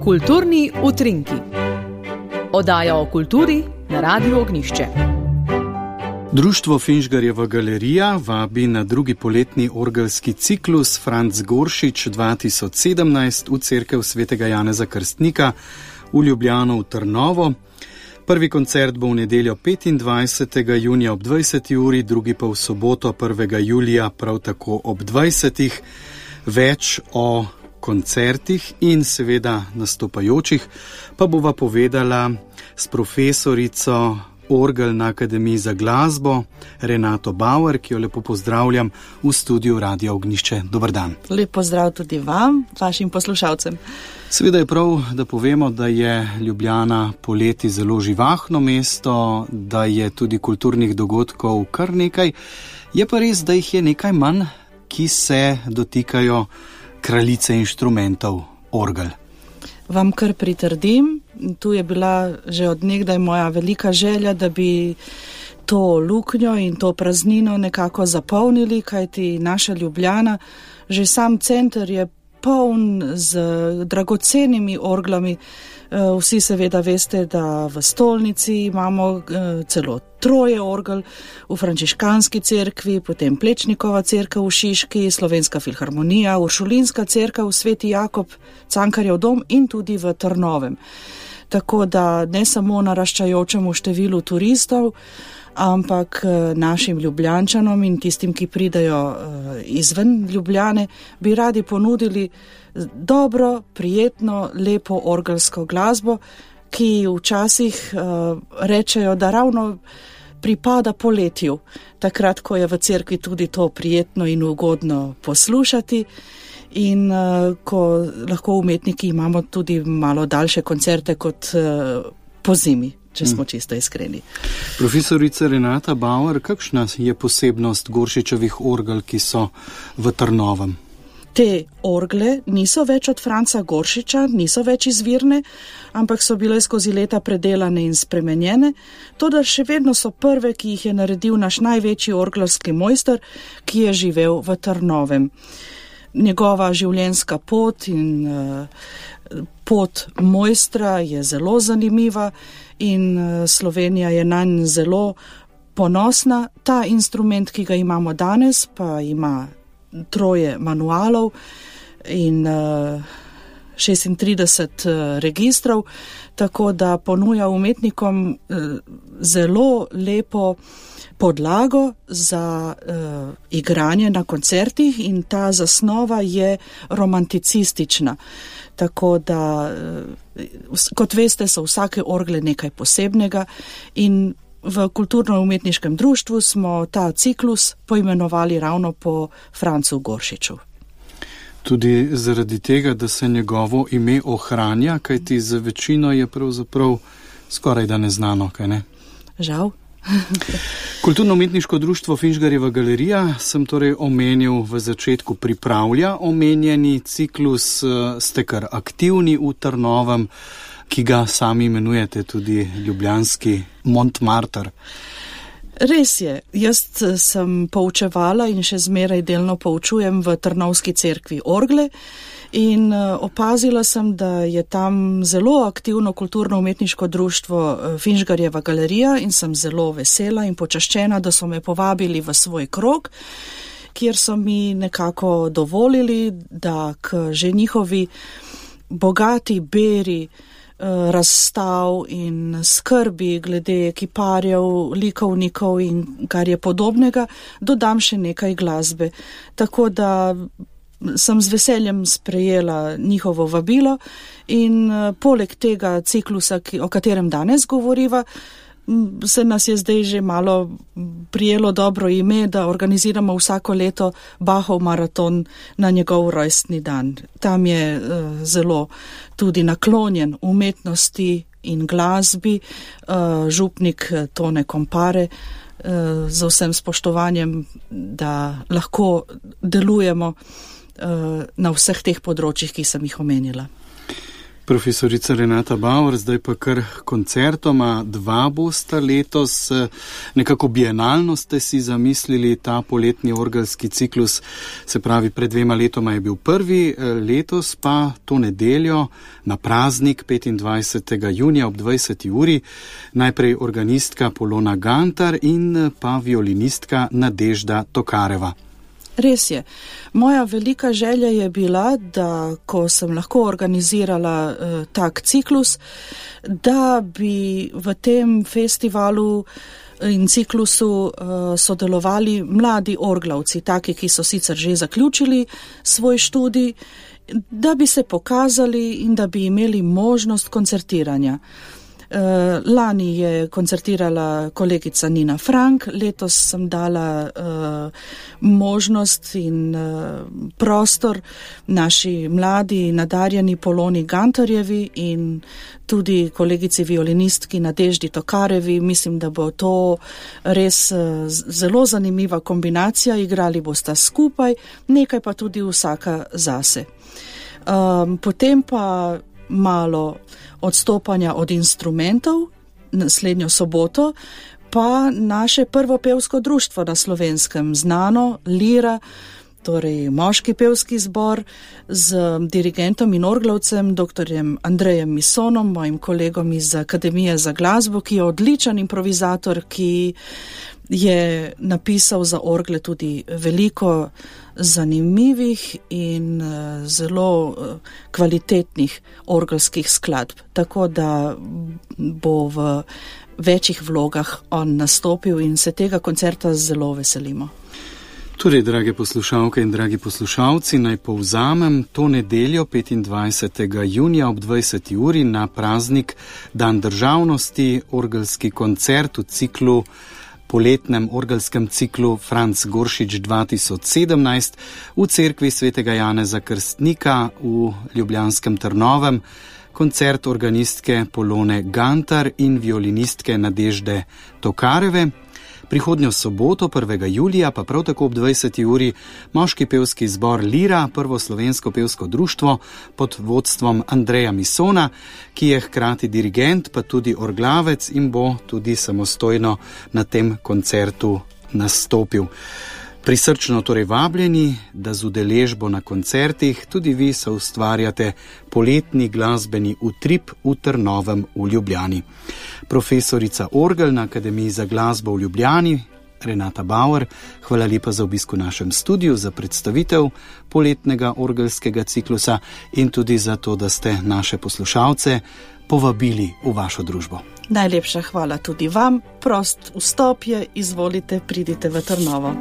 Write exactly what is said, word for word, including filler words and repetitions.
Kulturni utrinki. Oddaja o kulturi na Radiu Ognjišče. Društvo Finžgarjeva galerija vabi na drugi poletni orgelski ciklus Franc Goršič dva tisoč sedemnajst v cerkev svetega Janeza Krstnika v Ljubljano v Trnovo. Prvi koncert bo v nedeljo petindvajsetega junija ob dvajseti uri, drugi pa v soboto prvega julija prav tako ob dvajsetih. Več o koncertih in seveda nastopajočih pa bova povedala s profesorico orgel na Akademiji za glasbo Renato Bauer, ki jo lepo pozdravljam v studiu Radia Ognjišče. Dober dan. Lep pozdrav tudi vam, vašim poslušalcem. Seveda je prav, da povemo, da je Ljubljana poleti zelo živahno mesto, da je tudi kulturnih dogodkov kar nekaj. Je pa res, da jih je nekaj manj, ki se dotikajo kraljice inštrumentov, orgel. Vam kar pritrdim, tu je bila že od nekdaj moja velika želja, da bi to luknjo in to praznino nekako zapolnili, kajti naša Ljubljana, že sam center je poln z dragocenimi orglami. Vsi seveda veste, da v stolnici imamo celo troje orgel, v frančiškanski cerkvi, potem Plečnikova cerkev v Šiški, Slovenska filharmonija, Uršulinska cerkev, Sveti Jakob, Cankarjev dom in tudi v Trnovem. Tako da ne samo naraščajočemu številu turistov, ampak našim Ljubljančanom in tistim, ki pridejo izven Ljubljane, bi radi ponudili dobro, prijetno, lepo orgelsko glasbo, ki včasih uh, rečejo, da ravno pripada poletju, takrat, ko je v cerkvi tudi to prijetno in ugodno poslušati in uh, ko lahko umetniki imamo tudi malo daljše koncerte kot uh, po zimi, če smo čisto iskreni. Profesorica Renata Bauer, kakšna je posebnost Goršičevih orgel, ki so v Trnovem? Te orgle niso več od Franca Goršiča, niso več izvirne, ampak so bile skozi leta predelane in spremenjene, toda še vedno so prve, ki jih je naredil naš največji orglarski mojster, ki je živel v Trnovem. Njegova življenjska pot in uh, pot mojstra je zelo zanimiva in uh, Slovenija je nanj zelo ponosna. Ta instrument, ki ga imamo danes, pa ima troje manualov in uh, šestintrideset uh, registrov, tako da ponuja umetnikom uh, zelo lepo podlago za uh, igranje na koncertih in ta zasnova je romanticistična. Tako da, uh, kot veste, so vsake orgle nekaj posebnega in v kulturno-umetniškem društvu smo ta ciklus poimenovali ravno po Francu Goršiču. Tudi zaradi tega, da se njegovo ime ohranja, kajti za večino je pravzaprav skoraj da neznano, kaj ne? Žal. Kulturno-umetniško društvo Finžgarjeva galerija sem torej omenil v začetku, pripravlja omenjeni ciklus, ste kar aktivni v Trnovem, ki ga sami imenujete tudi ljubljanski Montmartre. Res je, jaz sem poučevala in še zmeraj delno poučujem v Trnovski cerkvi orgle in opazila sem, da je tam zelo aktivno kulturno-umetniško društvo Finžgarjeva galerija in sem zelo vesela in počaščena, da so me povabili v svoj krog, kjer so mi nekako dovolili, da k že njihovi bogati beri razstav in skrbi glede kiparjev, likovnikov in kar je podobnega, dodam še nekaj glasbe. Tako da sem z veseljem sprejela njihovo vabilo in poleg tega ciklusa, o katerem danes govoriva, se nas je zdaj že malo prijelo dobro ime, da organiziramo vsako leto Bachov maraton na njegov rojstni dan. Tam je uh, zelo tudi naklonjen umetnosti in glasbi, uh, župnik Tone Kompare, uh, z vsem spoštovanjem, da lahko delujemo uh, na vseh teh področjih, ki sem jih omenila. Profesorica Renata Bauer, zdaj pa kar koncertoma, dva bosta letos, nekako bienalno ste si zamislili ta poletni orgelski ciklus, se pravi pred dvema letoma je bil prvi, letos pa to nedeljo na praznik petindvajsetega junija ob dvajseti uri, najprej organistka Polona Gantar in pa violinistka Nadežda Tokareva. Res je. Moja velika želja je bila, da ko sem lahko organizirala uh, tak ciklus, da bi v tem festivalu in ciklusu uh, sodelovali mladi orglavci, taki, ki so sicer že zaključili svoj študij, da bi se pokazali in da bi imeli možnost koncertiranja. Uh, lani je koncertirala kolegica Nina Frank, letos sem dala uh, možnost in uh, prostor naši mladi nadarjeni Poloni Gantarjevi in tudi kolegici violinistki Nadeždi Tokarevi. Mislim, da bo to res uh, zelo zanimiva kombinacija, igrali bosta skupaj, nekaj pa tudi vsaka zase. Um, potem pa malo odstopanja od instrumentov, naslednjo soboto, pa naše prvo pevsko društvo na Slovenskem, znano Lira, torej moški pevski zbor z dirigentom in orglavcem, doktorjem Andrejem Misonom, mojim kolegom iz Akademije za glasbo, ki je odličen improvizator, ki je napisal za orgle tudi veliko zanimivih in uh, zelo uh, kvalitetnih orgelskih skladb. Tako da bo v večjih vlogah on nastopil in se tega koncerta zelo veselimo. Torej, drage poslušalke in dragi poslušalci, naj povzamem, to nedeljo petindvajsetega junija ob dvajseti uri na praznik Dan državnosti, orgelski koncert v ciklu poletnem orgelskem ciklu Franc Goršič dva tisoč sedemnajst v cerkvi svetega Janeza Krstnika v ljubljanskem Trnovem, koncert organistke Polone Gantar in violinistke Nadežde Tokareve. Prihodnjo soboto, prvega julija, pa prav tako ob dvajseti uri, moški pevski zbor Lira, prvo slovensko pevsko društvo pod vodstvom Andreja Misona, ki je hkrati dirigent, pa tudi orglavec in bo tudi samostojno na tem koncertu nastopil. Prisrčno torej vabljeni, da z udeležbo na koncertih tudi vi soustvarjate poletni glasbeni utrip v Trnovem v Ljubljani. Profesorica orgel na Akademiji za glasbo v Ljubljani, Renata Bauer, hvala lepa za obisk v našem studiu, za predstavitev poletnega orgelskega ciklusa in tudi za to, da ste naše poslušalce povabili v vašo družbo. Najlepša hvala tudi vam, prost vstop je, izvolite, pridite v Trnovo.